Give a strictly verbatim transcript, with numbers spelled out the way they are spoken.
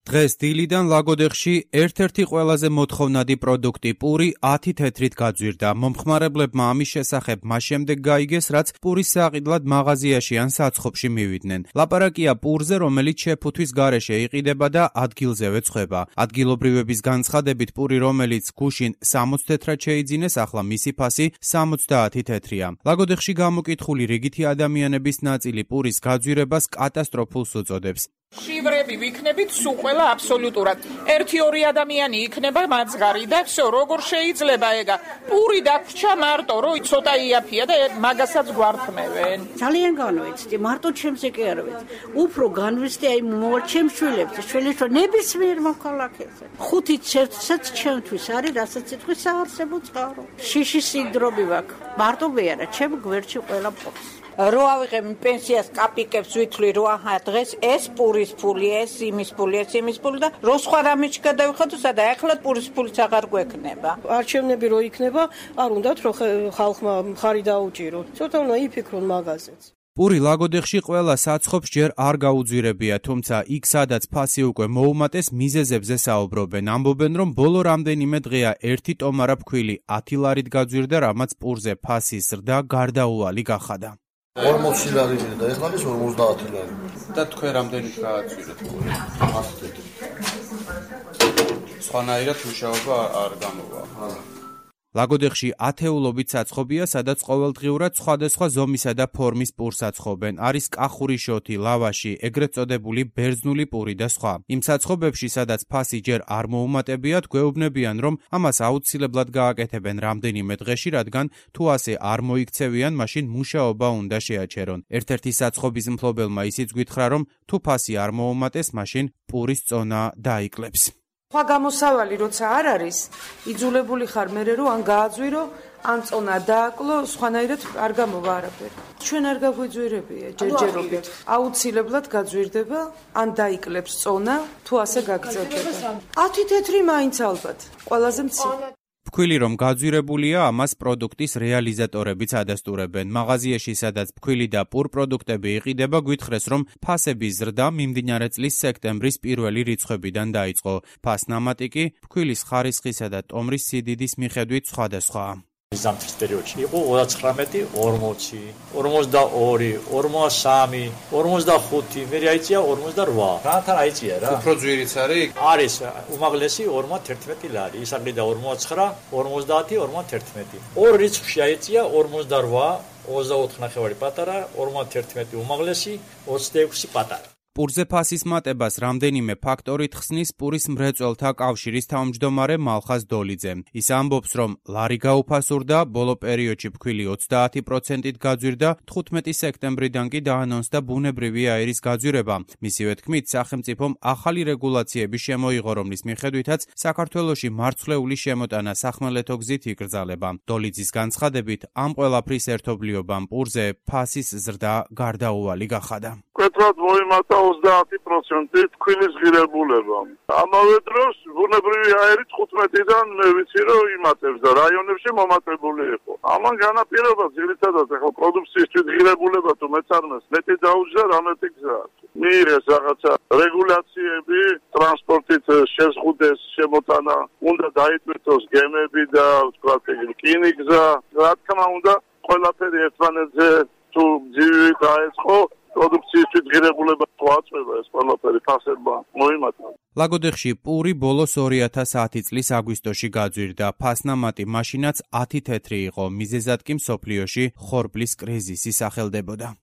დღეს დილიდან ლაგოდეხში ერთ-ერთი ყველაზე მოთხოვნადი პროდუქტი პური ათი თეთრით გაძვირდა. მომხმარებლებმა ამის შესახებ მას შემდეგ გაიგეს, რაც პურის საყიდლად მაღაზიაში ან საცხობში მივიდნენ. ლაპარაკია პურზე, რომელიც შეფუთვის გარეშე იყიდება და ადგილზევე ცხება. ადგილობრივების განცხადებით პური, რომელიც გუშინ სამოცი თეთრად შეიძინეს, ახლა მისი ფასი სამოცდაათი თეთრია. ლაგოდეხში გამოკითხული რიგითი ადამიანების ნაწილი პურის გაძვირებას კატასტროფულს უწოდებს. Შივრები ვიქნებით სულ ყველა აბსოლუტურად. ერთი-ორი ადამიანი იქნება მაძღარი და всё, როგორ შეიძლება ეგა? პური დაგვრჩა მარტო, რომ ცოტა იაფია და მაგასაც გვართმევენ. ძალიან განვიცდი, მარტო ჩემზე კი არ ვიცი. უფრო განვიცდი აი მოვალ ჩემს შვილებს, შვილებს ნებისმიერ მოქალაქეზე. ხუთი ცერცაც ჩემთვის არის, რასაც იტყვის საარსებო წყარო. შიში სინდრომი ვაქვს. მარტო მე არა, ჩემ გვერდში ყველა პურს. რო ავიღებ პენსიას კაპიკებს ვითვლი რო აჰა დღეს ეს პურის ფული, ეს იმის ფული, ეს იმის ფული და რო სხვა რამეში გადავიხადო, სადა ახლა პურის ფულიც აღარ გვექნება. არჩევნები რო იქნება, არ უნდათ რომ ხალხმა მხარი დაუჭიროთ. ცოტა უნდა იფიქრონ მაგაზეც. პური ლაგოდეხში ყველა საცხობს ჯერ არ გაუძვირებია, თუმცა იქ სადაც ფასი უკვე მოუმატეს, მიზეზებზე საუბრობენ. ამბობენ, რომ ბოლო რამდენიმე დღეა ერთი ტომარა ფქვილი ათი ლარით გაძვირდა, რამაც პურზე ფასის ზრდა გარდაუვალი გახადა. ორმოცი ლარი და ეხლა ის ორმოცდაათი ლარი. და თქვენ რამდენით გააძვირეთ? სხვანაირად მუშაობა არ გამოვა. ლაგოდეხში ათეულობით საცხობია, სადაც ყოველდღიურად სხვადასხვა ზომისა და ფორმის პურს აცხობენ. არის კახური შოთი, ლავაში, ეგრეთ წოდებული ბერძნული პური და სხვა. იმ საცხობებში, სადაც ფასი ჯერ არ მოუმატებიათ, გვეუბნებიან, რომ ამას აუცილებლად გააკეთებენ რამდენიმე დღეში, რადგან თუ ასე არ მოიქცევიან, მაშინ მუშაობა უნდა შეაჩერონ. ერთ-ერთი საცხობის მფლობელმა ისიც გითხრა, რომ თუ ფასი არ მოუმატეს, მაშინ პურის წონა დაიკლებს. სხვა გამოსავალი როცა არ არის, იძულებული ხარ მერე რომ ან გააძვირო, ან წონა დააკლო, სხვანაირად არ გამოვა არაფერი. ჩვენ არ გაგვიძვირებია ჯერჯერობით. აუცილებლად გაძვირდება, ან დაიკლებს წონა, თუ ასე გაგრძელდება. ათი თეთრი მაინც ალბათ, ყველაზე მცირე. ფქვილი რომ გაძვირებულია, ამას პროდუქტის რეალიზატორებიც ადასტურებენ. მაღაზიაში, სადაც ფქვილი და პურ პროდუქტები იყიდება, გვითხრეს, რომ ფასების ზრდა მიმდინარე წლის სექტემბრის პირველი რიცხვებიდან დაიწყო. ფასნამატი კი ფქვილის ხარისხისა და ტომრის სიდიდის მიხედვით სხვადასხვაა. ზამთრის პერიოდში იყო ოცდათხმეტი, ორმოცი, ორმოცდაორი, ორმოცდასამი, ორმოცდახუთი, მე აიწია ორმოცდარვა. რათან აიწია რა? უფრო ძვირიც არის? არის უმაღლესი ორმოცდაერთმეტი ლარი. ის აღიდა ორმოცდაცხრა, ორმოცდაათი, ორმოცდაერთმეტი. ორ რიცხვში აიწია ორმოცდარვა, ოცდაოთხი ნახევარი პატარა, ორმოცდაერთმეტი უმაღლესი, ოცდაექვსი პატარა. პურზე ფასის მატებას რამდენიმე ფაქტორით ხსნის პურის მრეწველთა კავშირის თავმჯდომარე მალხაზ დოლიძე. ის ამბობს, რომ ლარი გაუფასურდა, ბოლო პერიოდში ფქვილი ოცდაათი პროცენტით გაძვირდა, თხუთმეტი სექტემბრიდან კი დაანონსდა ბუნებრივი აირის გაძვირება. მისივე თქმით, სახელმწიფომ ახალი რეგულაციები შემოიღო, რომლის მიხედვითაც საქართველოში მარცვლეული შემოტანა სახმელეთო გზით იკრძალება. დოლიძის განცხადებით, ამ ყველაფრის ერთობლიობამ პურზე ფასის ზრდა გარდაუვალი გახადა. მკვეთრად მოიმატა ოცდაათი პროცენტი ფქვილის ღირებულება. ამავე დროს ბუნებრივი აირი თხუთმეტიდან მე ვიცი რომ იმატებს და რაიონებში მომატებული იყო. ამან განაპირობა ძირითადად ახლა პროდუქციის ღირებულება თუ მეწარმეს მეტი დაუჯდა რამეთი გზა. მიიღეს რაღაცა რეგულაციები, ტრანსპორტით შეზღუდეს შემოტანა, უნდა დაიტვირთოს გემები და ვთქვათ რკინიგზა. რა თქმა უნდა, ყველაფერი ერთმანეთზე თუ ძივი დაეწყო პროდუქციის ღირებულება თუ აწვევა ეს ყველაფერი ფასებმა მოიმატა. ლაგოდეხში პური ბოლოს ორი ათას ათი წლის აგვისტოში გაძვირდა. ფასნამატი მაშინაც ათი თეთრი იყო. მიზეზად კი მსოფლიოში ხორბლის კრიზისი სახელდებოდა.